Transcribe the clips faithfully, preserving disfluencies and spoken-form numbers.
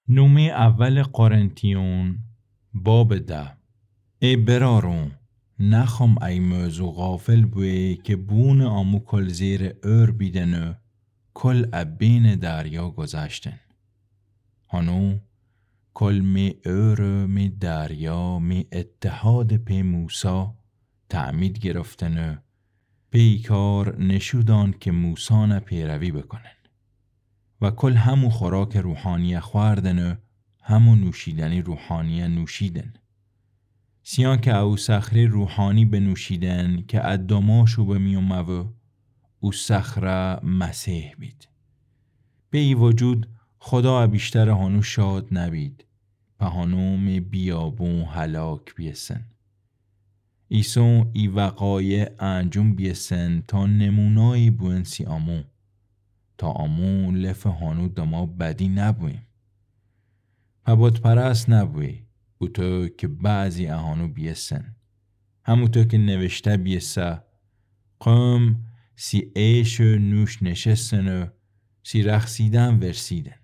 نومه اول قرنتیون، باب ده. ای برارون، نخوام ای موضوع غافل بوی که بونٚ آمو کل زیرٚ اور بیدن و کل ا بینٚ دریا گذشتن. هنو کل می اور و می دریا می اتحادٚ پی موسی تعمید گرفتن و پیکار نشودان که موسانه پیروی بکنن. و کل همو خوراکٚ روحانیه خوأردن و همو نوشیدنی روحانیه نوشیدن. سیان که او صخره‌یٚ روحانی بنوشیدن که ا دماشو بمیومه و او صخره مسیح بید. به ای وجود خدا ا بیشتر هنو شاد نبید، په هنو می بیابون هلاک بیسن. ایسون ای وقایع انجوم بیسن تا نمونایی بوئن سی آمو، تا آمو لفٚ هنو دما بدی نبویم. په بت‌پرست نبوی، اوطو که بعضی اهانو بیسن. هموطو که نوشته بیسه، قوم سی عیش و نوش نشستن و سی رخصیدن ورسیدن.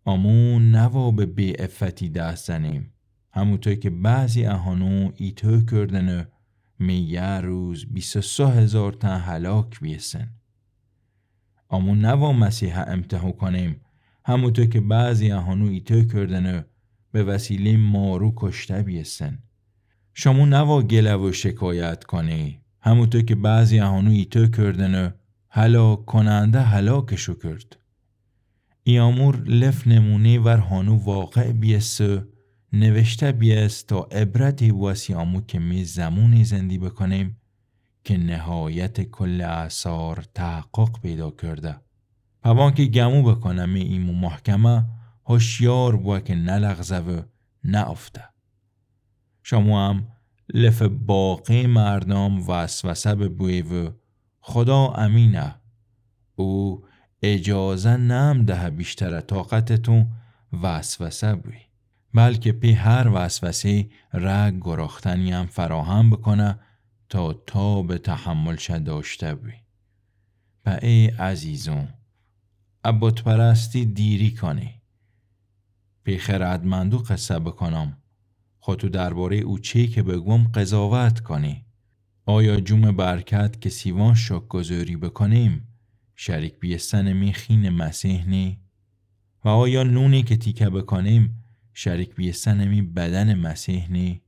آمو نوا به بی‌عفتی دست زنیم، هموطو که بعضی اهانو ایطو کردن و می یه روز بیست و سه هزار تن هلاک بیسن. آمو نوا مسیحه امتحو کنیم، هموطو که بعضی اهانو ایطو کردن و به وسیله‌یٚ مارو کشته بیسن. شامو نوا گله و شکایت کنی، هموطو که بعضی اهانو ایطو کردن و هلاک کننده هلاکشو کرد. ای امور لف نمونه‌یٚ ور هانو واقع بیسه، نوشته بیسه تا عبرتی بوسه سی آمو که می زمونی زندی بکنیم که نهایت کل آثار تحقق پیدا کرده. پوان که گمو بکنه می ایمو محکمه، هوشیار بوه که نلغزه و نافته. شامو هم لف باقی مردم وسوسه ببوی و خدا امینه. او اجازه نم دهه بیشتر طاقتتون وسوسه بوی، بلکه پی هر وسوسه‌یٚ رگ گراختنی هم فراهم بکنه تا تاب تحملش داشته بوی. پس ای عزیزون، ا بت‌پرستی دیری کنی. پی خردمندو قصه بکنم، خو تو درباره‌یٚ او چی که بگوم قضاوت کنی. آیا جوم برکت که سیوان شکرگزاری بکنیم، شریک بیستن می خین مسیح نی؟ و آیا نونی که تیکه بکنیم، شریک بیستن می بدن مسیح نی؟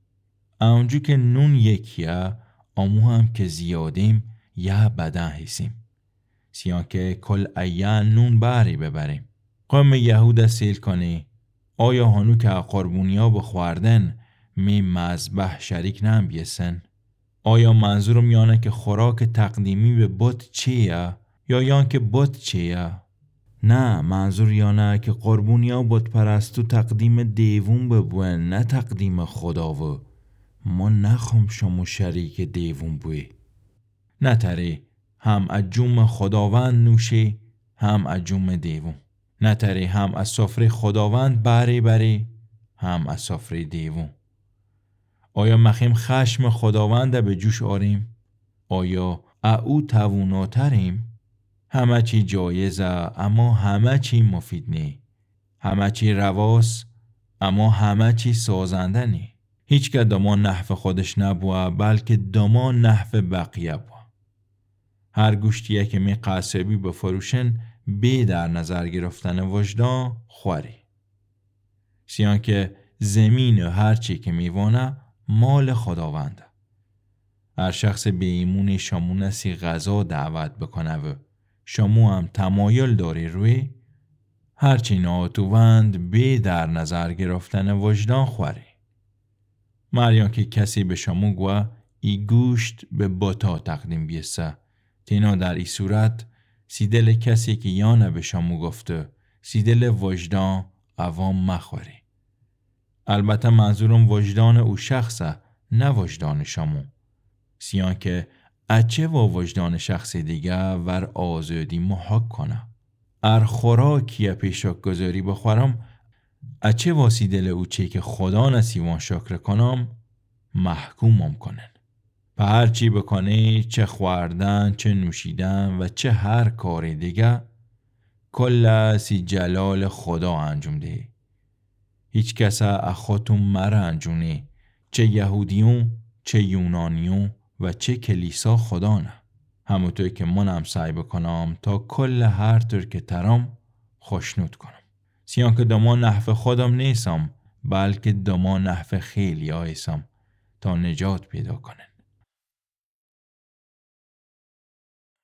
اونجو که نون یکیه، امو هم که زیادیم، یه بدن هیسیم. سیان که کل ایه نون بهری ببریم. قوم یهودا سیل کنی، آیا هانو که ا قربونیا بخوردن، می مذبح شریک نم بیسن؟ آیا منظورم یانه که خوراک تقدیمی به بت چیه؟ یا یان که بت چیه؟ نه، منظور یانه که قربونیا بت‌پرستو تقدیم دیوون ببوئن، نه تقدیم خدا و. ما نخوم شامو شریک دیوون بوی. نتری هم ا جوم خداوند نوشی، هم ا جوم دیوون. نتری هم ا سفره‌یٚ خداوند بهری بری، هم ا سفره‌یٚ دیوون. آیا مخیم خشم خداوند به جوش آریم؟ آیا ا او تواناتریم؟ همه چی جایزه، اما همه چی مفید نی. همه چی رواس، اما همه چی سازنده نی. هیچ که دامان نحو خودش نبوه، بلکه دامان نحو بقیه بوه. هر گوشتیه که می قصابی بفروشن، بی در نظر گرفتن وجدان خوری. سیان که زمین و هر چی که میوانه، مال خداونده. هر شخص بی ایمونی شامونه سی غذا دعوت بکنه و شامو هم تمایل داری روی، هر چی ناتووند بی در نظر گرفتن وجدان خوری. مریان که کسی به شامو گوه، ای گوشت به بتا تقدیم بیسه، تینا در ای صورت، سی دل کسی که یانه به شامو گفته، سی دل وجدان عوام مخوری. البته منظورم وجدان او شخصه، نه وجدان شامو. سیان که اچه وا وجدان شخص دیگه ور آزادی محاک کنه. ار خوراکیه پیشاک گذاری بخورم، اچه وا سی دل او چی که خدا نسیوان شکر کنم، محکومم کنن. په هر چی بکنی، چه خوردن، چه نوشیدن و چه هر کاری دیگه، کل سی جلال خدا انجام دهی. هیکسه ا خوتوم مرنجونی، چه یهودیون، چه یونانیون و چه کلیسا خودانه. هموطو کی منم سعی بوکونم تا کل هر طور کی ترم خوشنود کونم. سیان کی دمان نحوه خودم نیسم، بلکی دمان نحوه خیلیا ایسم تا نجات پیدا کونن.